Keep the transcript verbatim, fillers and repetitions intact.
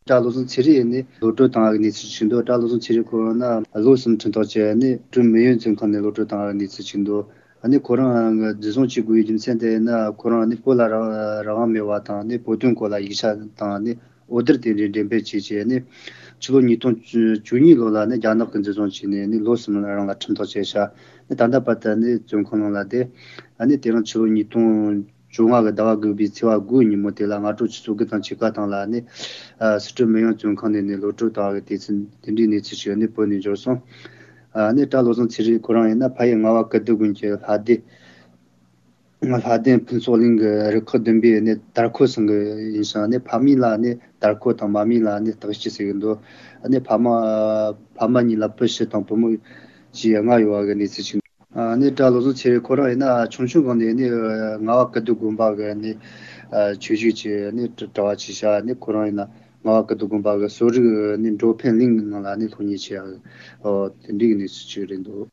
གྲྭ་བློ་བཟང་ཚེ་རིང་ནི་གློད་བཀྲོལ་བཏང་བའི་གནས་ཚུལ་ཞིག་འདུག་གྲྭ་བློ་བཟང་ཚེ་རིང་ཁོ་རང་ནི་ལོ་གསུམ་ཁྲིམས་ཐག་བཅད་ནས་ཁྲོན་མིན་ཡོན་བཙོན་ཁང་ནས་གློད་བཀྲོལ་བཏང་བའི་གནས་ཚུལ་ཞིག་འདུག་ནི་ཁོ་རང་འཛིན་བཟུང་བྱེད་དགོས་པའི་རྒྱུ་མཚན་དེ་ནི་ཁོ་རང་ནི་བོད་ལ་རང་དབང་མེད་པ་དང་ནི་བོད་དོན་སྐོར་ལ་ཡིག་ཆ་དང་ནི་འོད་སྡེར་དེ་འདྲའི་འགྲེམས་སྤེལ་བྱས་རྗེས་ནི་ཕྱི་ལོ་ཉིས་སྟོང་བཅུ་གཉིས་ལོ་ལ་ནི་རྒྱ་ནག་གིས་འཛིན་བཟུང་བྱས་ནས་ནི་ལོ་གསུམ་རིང་ལ་ཁྲིམས་ཐག་བཅད་ཤག་ནི་ད་ལྟ་བར་དུ་ནི་བཙོན་ཁང་ནང་ལ་བསྡད། ནི་དེ་རིང་ཕྱི་ལོ་ཉིས་སྟོང། བཅོ་ལྔ་གི་ཟླ་བ་དགུ་པའི་ཚེས་པ་དགུའི་ཉིན་མོ་དེ་ལ་སྔ་དྲོ་ཆུ་ཚོད་དགུ་དང་ཕྱེད་ཀ་སྟེང་ལ་ནི། སི་ཁྲོན་མིན་ཡོན་བཙོན་ཁང་ནས་ནི་གློད་བཀྲོལ་བཏང་བའི་དུས་ཚོད་དེ་འདྲའི་གནས་ཚུལ་ཞིག་ནི་བོད་ནས་འབྱོར་སོང། ནི་གྲྭ་བློ་བཟང་ཚེ་རིང་ཁོ་རང་ཡིན་ན་ཕ་ཡུལ་རྔ་བ་ཀིརྟི་དགོན་གྱི་ལྷ་སྡེ། ལྷ་ལྡན་ཕུན་ཚོགས་གླིང་གི་རུ་ཁག་བདུན་པའི་ནི་དར་ཁོ་ཚང་གི་ཡིན་ཞིང་ནི་ཕ་མིང་ལ་ནི་དར་ཁོ་དང་མ་མིང་ལ་ནི་སྟག་སྐྱིད་ཟེར་གྱི་འདུག་ནི་ཕ་མ་ཕ་མ་གཉིས་ལ་བུ་བཞི་དང་བུ་མོ་བཅས་ལྔ་ཡོད་པ་གི་གནས་ཚུལ་ཞིག། ནི་གྲྭ་བློ་བཟང་ཚེ་རིང་ཁོ་རང་ཡིན་ན་ཆུང་ཆུང་སྒང་ནས་ནི་རྔ་བ་ཀིརྟི་དགོན་པ་གི་ནི་ཆོས་ཞུགས་བྱས་ནི་གྲྭ་བ་བྱས་ཤག་ནི་ཁོ་རང་ཡིན་ན་རྔ་བ་ཀིརྟི་དགོན་པ་གི་གསོ་རིག་ནི་འགྲོ་ཕན་གླིང་ནང་ལ་ནི་སློབ་གཉེར་བྱས་ཡག་དེ་འདྲའི་གནས་ཚུལ་ཅིག་རེད་འདུག།